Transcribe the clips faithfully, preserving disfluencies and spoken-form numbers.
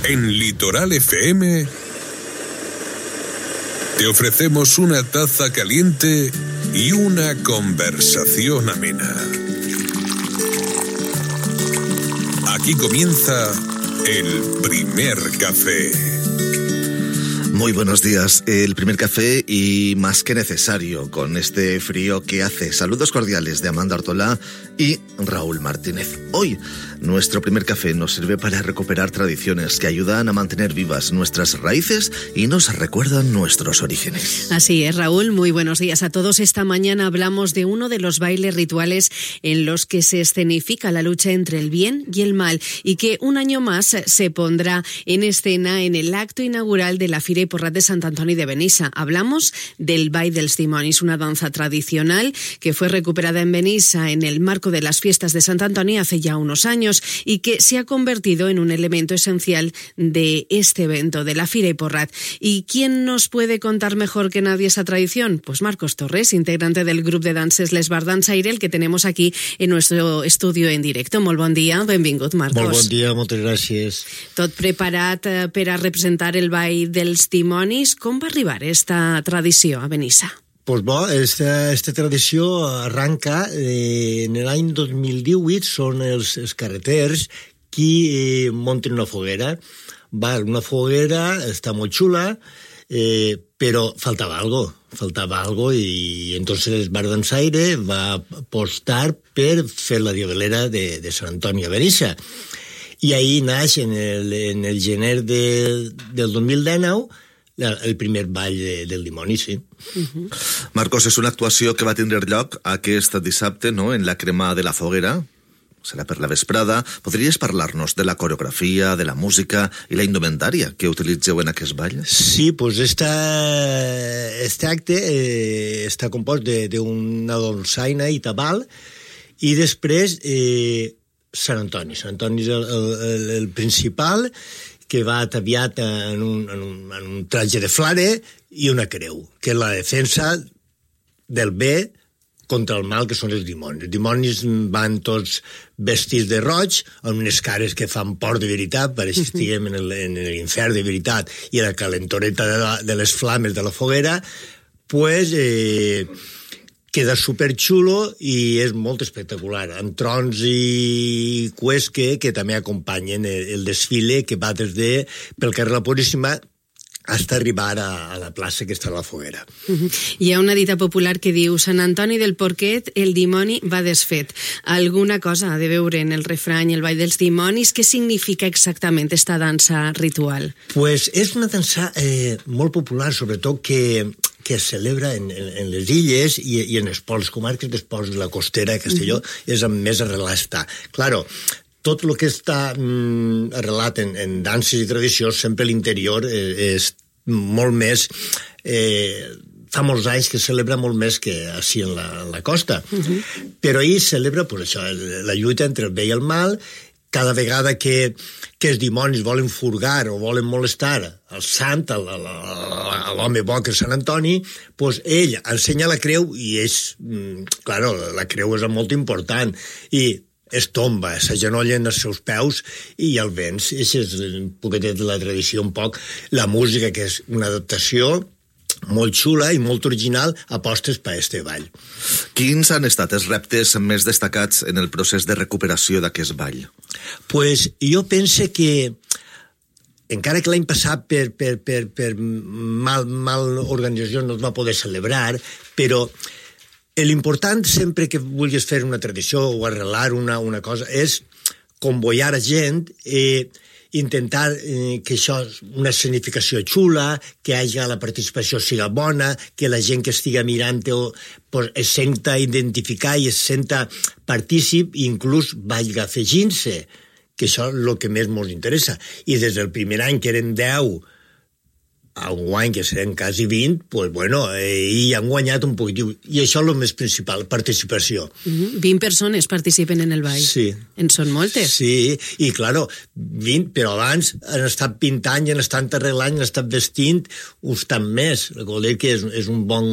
En Litoral F M te ofrecemos una taza caliente y una conversación amena. Aquí comienza el primer café. Muy buenos días, el primer café y más que necesario con este frío que hace. Saludos cordiales de Amanda Ortolá y Raúl Martínez. Hoy nuestro primer café nos sirve para recuperar tradiciones que ayudan a mantener vivas nuestras raíces y nos recuerdan nuestros orígenes. Así es, Raúl, muy buenos días a todos. Esta mañana hablamos de uno de los bailes rituales en los que se escenifica la lucha entre el bien y el mal y que un año más se pondrá en escena en el acto inaugural de la Fira i Porrat de Sant Antoni de Benissa. Hablamos del Ball dels Dimonis, una danza tradicional que fue recuperada en Benissa en el marco de las fiestas de Sant Antoni hace ya unos años y que se ha convertido en un elemento esencial de este evento, de la Fira i Porrat. ¿Y quién nos puede contar mejor que nadie esa tradición? Pues Marcos Torres, integrante del grup de danses Les Bardans Aire, el que tenemos aquí en nuestro estudio en directo. Molt bon dia, benvingut, Marcos. Molt bon dia, moltes gràcies. Tot preparat per a representar el Ball dels Dimonis. Com va arribar esta tradició a Benissa? Pues bo, esta, esta tradició arranca eh, en l'any dos mil divuit, són els, els carreters qui eh, munten una foguera. Va, una foguera està molt xula, eh, però faltava algo, faltava algo i entonces Bardans Aire va apostar per fer la diablera de, de Sant Antoni a Benissa. I ahí naix en el, en el gener de, del dos mil dinou el primer ball de, del dimoni, sí. Uh-huh. Marcos, és una actuació que va tindre lloc aquest dissabte, no?, en la crema de la foguera. Serà per la vesprada. Podries parlar-nos de la coreografia, de la música i la indumentària que utilitzeu en aquest ball? Sí, pues esta, este acte eh, està compost d'una dolçaina i tabal i després eh, Sant Antoni. Sant Antoni és el, el, el principal, que va ataviat en un, en, un, en un traje de flare i una creu, que és la defensa del bé contra el mal, que són els dimonis. Els dimonis van tots vestits de roig, amb unes cares que fan por de veritat, pareix que estiguem en l'infern de veritat, i la calentoreta de, la, de les flames de la foguera, pues, eh, queda superxulo i és molt espectacular, amb trons i cues que, que també acompanyen el, el desfile que va des de pel carrer La Puríssima hasta arribar a, a la plaça que està a la foguera. Uh-huh. Hi ha una dita popular que diu Sant Antoni del Porquet, el dimoni va desfet. Alguna cosa ha de veure en el refrany el Ball dels Dimonis? Què significa exactament esta dansa ritual? Pues és una dansa eh, molt popular, sobretot que que es celebra en, en, en les illes i, i en els pols, comarques dels pols de la costera de Castelló, mm-hmm. és amb més arrelat està. Claro, tot el que està mm, arrelat en, en danses i tradicions, sempre l'interior eh, és molt més... Eh, fa molts anys que celebra molt més que així en la, en la costa. Mm-hmm. Però ahir celebra pues, això, la lluita entre el bé i el mal. Cada vegada que, que els dimonis volen furgar o volen molestar el sant, l'home bo que és Sant Antoni, pues ell ensenya la creu i és, claro, la creu és molt important, i es tomba, s'agenolla en els seus peus i el vens. Això és un poquetet de la tradició, un poc. La música, que és una adaptació molt xula i molt original, apostes per este ball. Quins han estat els reptes més destacats en el procés de recuperació d'aquest ball? Pues jo pense que, encara que l'any passat per, per, per, per mal, mal organització no es va poder celebrar, però l'important sempre que vulguis fer una tradició o arrelar una, una cosa és convoiar a gent i eh, intentar eh, que això, una escenificació xula, que hagi la participació siga bona, que la gent que estiga mirant-ho pues, es senta identificar i es senta partícip i inclús vagi afegint-se, que això és el que més ens interessa. I des del primer any, que eren deu, a un guany que serem quasi vint, pues bueno, eh, i han guanyat un poquitiu. I això és el més principal, participació. Mm-hmm. vint persones participen en el ball. Sí. En són moltes. Sí, i claro, vint, però abans han estat pintant i han estat arreglant, han estat vestint uns tant més. Vol dir que és, és un bon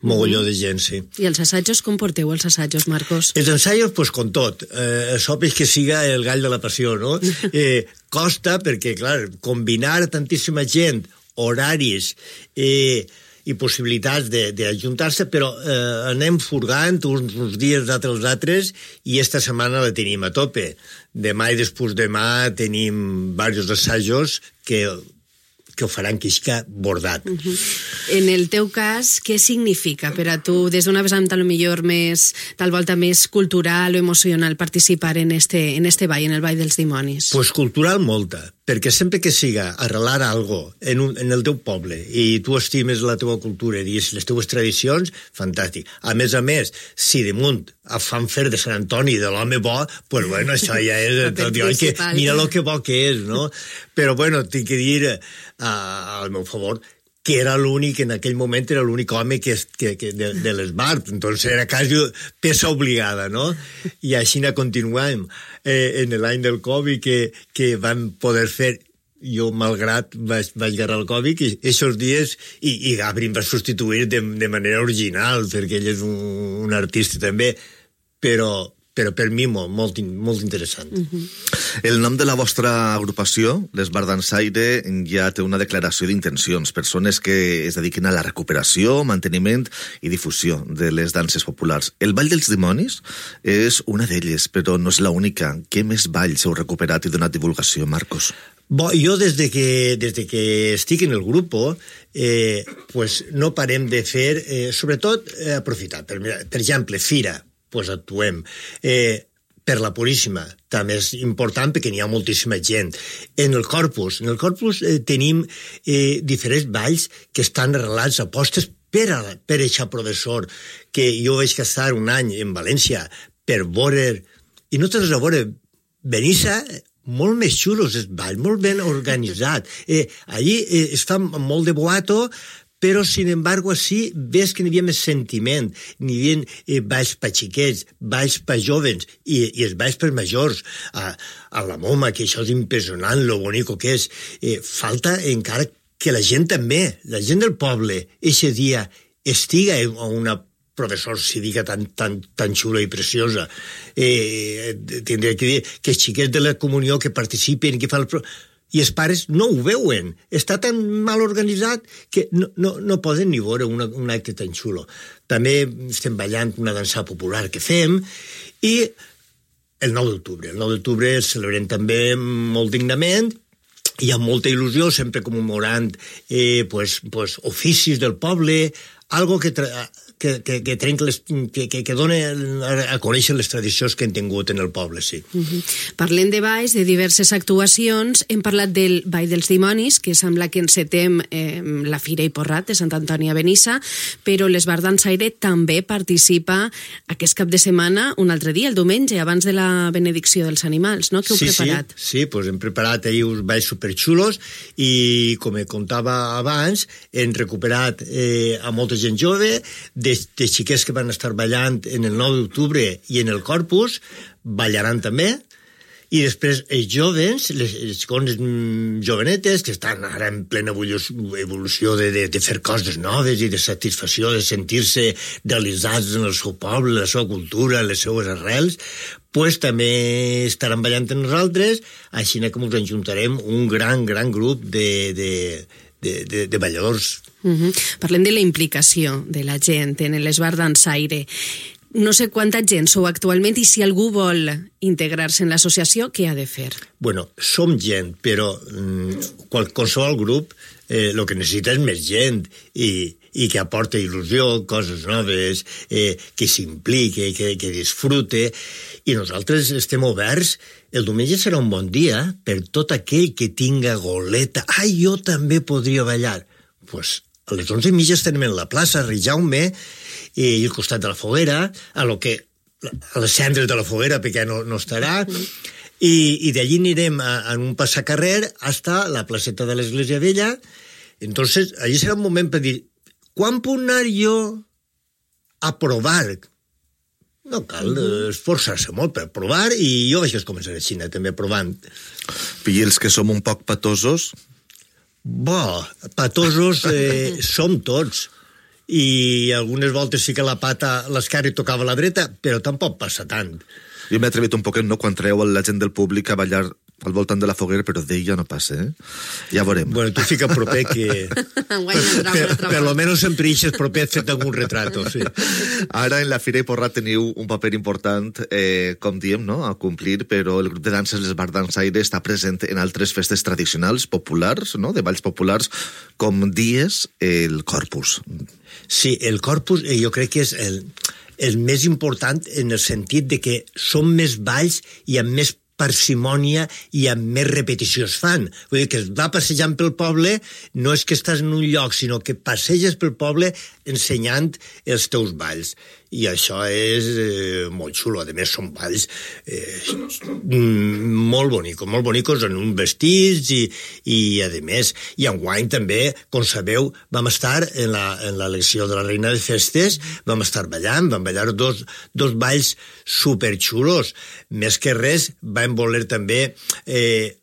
mogolló de gent, sí. I els assajos, com porteu els assajos, Marcos? Els ensaios, pues, con tot. Eh, sopes que siga el gall de la passió, no? Eh, costa, perquè, clar, combinar tantíssima gent, horaris eh, i possibilitats d'ajuntar-se, però eh, anem furgant uns, uns dies d'altres als altres i esta setmana la tenim a tope. Demà i després demà tenim diversos assajos que... que ho faran quisca bordat. Uh -huh. En el teu cas, què significa per a tu, des d'una vessant tal millor més, tal volta més cultural o emocional, participar en este, en este ball, en el Ball dels Dimonis? Pues cultural molta, perquè sempre que siga arrelar algo en, un, en el teu poble i tu estimes la teva cultura i les teues tradicions, fantàstic. A més a més, si damunt fan fer de Sant Antoni de l'home bo, pues bueno, això ja és tot, que, mira lo que bo que és, no? Però bueno, tinc que dir uh, al meu favor que era l'únic, en aquell moment era l'únic home que, que, que de, de l'Esbart, entonces era quasi peça obligada, no? I així na continuem. Eh, en l'any del Covid que, que vam poder fer, jo malgrat vaig, vaig agarrar el Covid i aquests dies, i, i Gabri em va substituir de, de manera original, perquè ell és un, un artista també, però però per mi molt, molt, molt interessant. Uh-huh. El nom de la vostra agrupació, l'Esbart Dansaire, ja té una declaració d'intencions, persones que es dediquen a la recuperació, manteniment i difusió de les danses populars. El Ball dels Dimonis és una d'elles, però no és l'única. Què més balls heu recuperat i donat divulgació, Marcos? Bo, jo des de que, des de que estic en el grup eh, pues no parem de fer, eh, sobretot eh, aprofitar. Per, per exemple, Fira, pues actuem. Eh, per la Puríssima, també és important perquè n'hi ha moltíssima gent. En el Corpus, en el Corpus eh, tenim eh, diferents balls que estan arrelats a postes per a, per eixa professor, que jo vaig estar un any en València per veure, i no tens a veure, Benissa, molt més xulos els balls, molt ben organitzat. Eh, allí eh, es fa molt de boato, però, sin embargo, així ves que n'hi havia més sentiment, n'hi havia eh, balls per xiquets, balls per jovens i, i els balls per majors. A, a la Moma, que això és impressionant, lo bonico que és. Eh, falta encara que la gent també, la gent del poble, eixe dia estiga a una professor cívica tan, tan, tan xula i preciosa. Eh, tindré que dir que els xiquets de la comunió que participen, que fan el... i els pares no ho veuen. Està tan mal organitzat que no, no, no poden ni veure una, un acte tan xulo. També estem ballant una dansa popular que fem i el nou d'octubre. El nou d'octubre el celebrem també molt dignament, hi ha molta il·lusió, sempre commemorant eh, pues, pues, oficis del poble, algo que... Tra- que, que, que, les, que, que, que dona a, a conèixer les tradicions que hem tingut en el poble, sí. Uh-huh. Parlem de balls, de diverses actuacions. Hem parlat del Ball dels Dimonis, que sembla que encetem eh, la Fira i Porrat de Sant Antoni a Benissa, però l'Esbart Dansaire també participa aquest cap de setmana, un altre dia, el diumenge, abans de la benedicció dels animals, no? Que heu sí, preparat? Sí, sí, pues hem preparat ahir uns balls superxulos i, com he contava abans, hem recuperat eh, a molta gent jove, de de, de xiquets que van estar ballant en el nou d'octubre i en el Corpus, ballaran també, i després els jovens, les, les xicones jovenetes, que estan ara en plena evolució de, de, de fer coses noves i de satisfacció, de sentir-se realitzats en el seu poble, la seva cultura, les seues arrels, pues també estaran ballant amb nosaltres, així que ens ajuntarem un gran, gran grup de... de De, de, de balladors. Uh-huh. Parlem de la implicació de la gent en l'Esbart Dansaire. No sé quanta gent sou actualment i si algú vol integrar-se en l'associació, què ha de fer? Bueno, som gent, però mm, qualsevol grup eh, el que necessita és més gent i, i que aporta il·lusió, coses noves, eh, que s'implique, que, que disfrute, i nosaltres estem oberts. El diumenge serà un bon dia per tot aquell que tinga goleta. Ai, jo també podria ballar. Doncs pues, a les onze i mitja estarem en la plaça, a Rijaume, i al costat de la foguera, a, lo que, a les cendres de la foguera, perquè no, no estarà, i, i d'allí anirem a, a un passacarrer hasta la placeta de l'Església Vella. Entonces, allí serà un moment per dir, quan puc anar jo a provar? No cal esforçar-se molt per provar, i jo vaig començar a Xina també provant. I els que som un poc patosos? Bo, patosos eh, som tots, i algunes voltes sí que la pata a l'esquerra i tocava a la dreta, però tampoc passa tant. Jo m'he atrevit un poquet, no?, quan treu la gent del públic a ballar al voltant de la foguera, però d'ella no passa, eh? Ja veurem. Bueno, tu fica proper que... per, per lo menos sempre ixes proper et fet algun retrato, sí. Ara en la Fira i Porrat teniu un paper important, eh, com diem, no?, a complir, però el grup de danses Les Bars Dansaire està present en altres festes tradicionals, populars, no?, de balls populars, com dies el Corpus. Sí, el Corpus eh, jo crec que és el... és més important en el sentit de que són més balls i amb més parsimònia i amb més repetició es fan. Vull dir que es va passejant pel poble, no és que estàs en un lloc, sinó que passeges pel poble ensenyant els teus balls. I això és eh, molt xulo. A més, són balls eh, molt bonicos, molt bonicos en un vestits i, i a més, i enguany també, com sabeu, vam estar en la, en l'elecció de la Reina de Festes, vam estar ballant, vam ballar dos, dos balls superxulos. Més que res, vam voler també... Eh,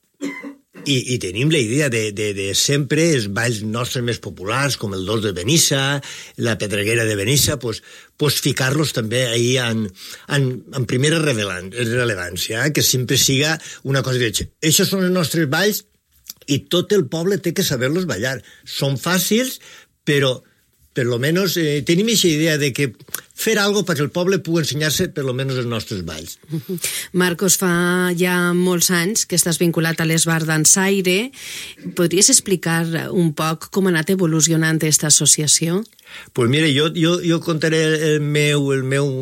I, i tenim la idea de, de, de sempre els balls nostres més populars, com el dos de Benissa, la pedreguera de Benissa, pues, pues ficar-los també ahí en, en, en primera rellevància, eh? Que sempre siga una cosa de... Aquests són els nostres balls i tot el poble té que saber-los ballar. Són fàcils, però per lo menos eh, tenim aquesta idea de que fer algo perquè el poble pugui ensenyar-se per lo menos els nostres balls. Marcos, fa ja molts anys que estàs vinculat a Les Bars Dansaire. Podries explicar un poc com ha anat evolucionant aquesta associació? Pues mira, jo, jo, jo contaré el meu, el meu,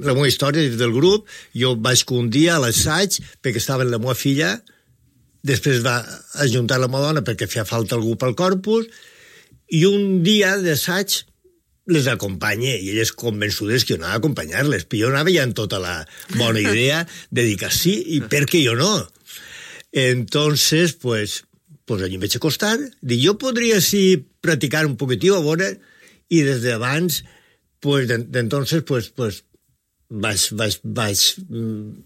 la meva història del grup. Jo vaig un dia a l'assaig perquè estava la meva filla, després va ajuntar la meva dona perquè feia falta algú pel Corpus, i un dia d'assaig les acompanye, i elles convençudes que jo anava a acompanyar-les, però jo anava ja en tota la bona idea de dir que sí, i per què jo no? Entonces, pues, pues allí em vaig acostar, dic, jo podria sí practicar un poquitiu a veure, i des d'abans, pues, d'entonces, pues, pues, vaig, vaig, vaig,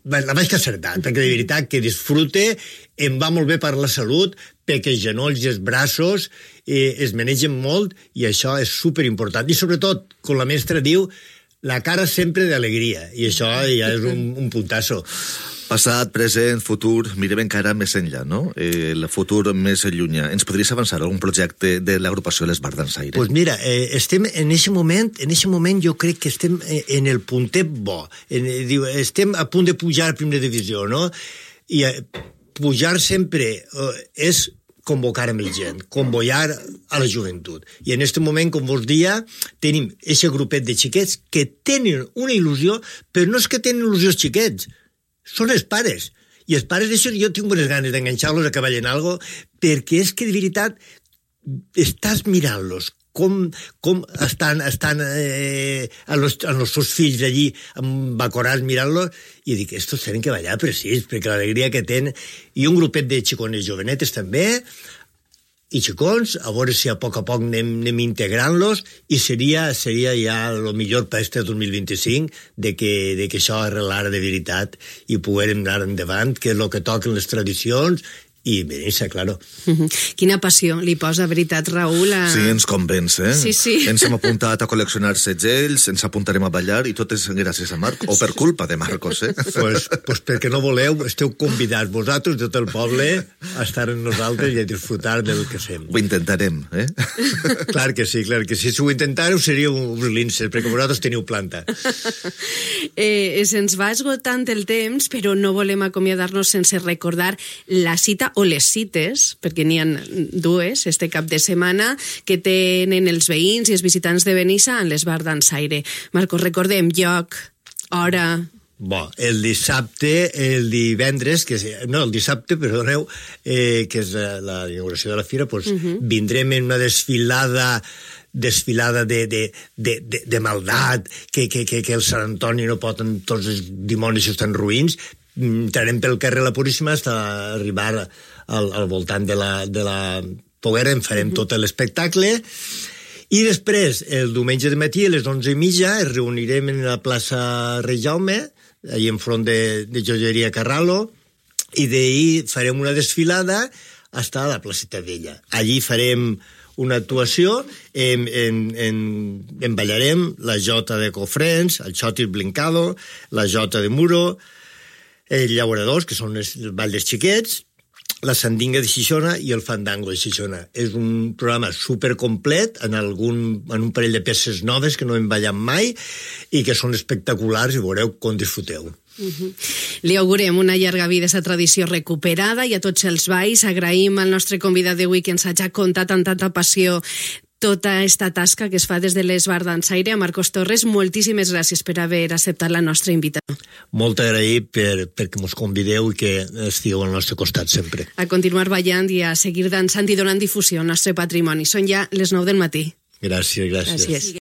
vaig, la vaig acertar, perquè de veritat que disfrute, em va molt bé per la salut, perquè els genolls i els braços eh, es manegen molt i això és superimportant. I sobretot, com la mestra diu, la cara sempre d'alegria, i això ja és un, un puntasso. Passat, present, futur, mirem encara més enllà, no? Eh, el futur més llunyà. Ens podries avançar algun projecte de l'agrupació Les Bars Dansaire? Pues mira, eh, estem en aquest moment, en aquest moment jo crec que estem en el puntet bo. En, diu, estem a punt de pujar a primera divisió, no? I eh, pujar sempre eh, és convocar amb el gent, convocar a la joventut. I en aquest moment, com vos dia, tenim aquest grupet de xiquets que tenen una il·lusió, però no és que tenen il·lusió els xiquets, són els pares. I els pares d'això jo tinc bones ganes d'enganxar-los a que ballen algo, perquè és que de veritat estàs mirant-los, com, com estan, estan eh, amb, los, amb els seus fills allí embacorats mirant-los, i dic, estos tenen que ballar precís, perquè l'alegria que tenen, i un grupet de xicones jovenetes també, i xicons, a veure si a poc a poc anem, anem integrant-los, i seria, seria ja el millor per este dos mil vint-i-cinc de que, de que això arrelara de veritat i poguem anar endavant, que és el que toquen les tradicions, i Benissa, claro. Uh-huh. Quina passió li posa, veritat, Raül? A... Sí, ens convenç, eh? Sí, sí. Ens hem apuntat a col·leccionar segells, ens apuntarem a ballar, i tot és gràcies a Marc, o per culpa de Marcos, eh? Pues, pues perquè no voleu, esteu convidats vosaltres, tot el poble, a estar amb nosaltres i a disfrutar del que fem. Ho intentarem, eh? Clar que sí, clar que sí. Si ho intentàreu seríeu uns linces, perquè vosaltres teniu planta. Eh, se'ns va esgotant el temps, però no volem acomiadar-nos sense recordar la cita o les cites, perquè n'hi ha dues este cap de setmana, que tenen els veïns i els visitants de Benissa en Les Bars Dansaire. Marcos, recordem lloc, hora... Bo, el dissabte, el divendres, que és, no, el dissabte, perdoneu, eh, que és la inauguració de la fira, doncs uh-huh. vindrem en una desfilada desfilada de, de, de, de, de maldat, que, que, que, que el Sant Antoni no pot, tots els dimonis estan ruïns, entrarem pel carrer La Puríssima fins a arribar al, al voltant de la, de la foguera, en farem tot l'espectacle, i després, el diumenge de matí, a les onze i mitja, es reunirem en la plaça Rei Jaume, allà enfront de, de Joieria Carralo, i d'ahir farem una desfilada fins a la placeta Vella. Allí farem una actuació, en, en, en, en ballarem la jota de Cofrents, el xotis blincado, la jota de Muro, els llauradors, que són els, el ball dels xiquets, la sandinga de Xixona i el fandango de Xixona. És un programa supercomplet en, algun, en un parell de peces noves que no hem ballat mai i que són espectaculars i veureu com disfruteu. Uh-huh. Li augurem una llarga vida a aquesta tradició recuperada i a tots els balls. Agraïm al nostre convidat d'avui que ens hagi contat amb tanta passió tota aquesta tasca que es fa des de l'Esbar Dansaire. A Marcos Torres, moltíssimes gràcies per haver acceptat la nostra invitació. Molt agraït per, perquè mos convideu i que estigueu al nostre costat sempre. A continuar ballant i a seguir dansant i donant difusió al nostre patrimoni. Són ja les nou del matí. Gràcies, gràcies. Gràcies.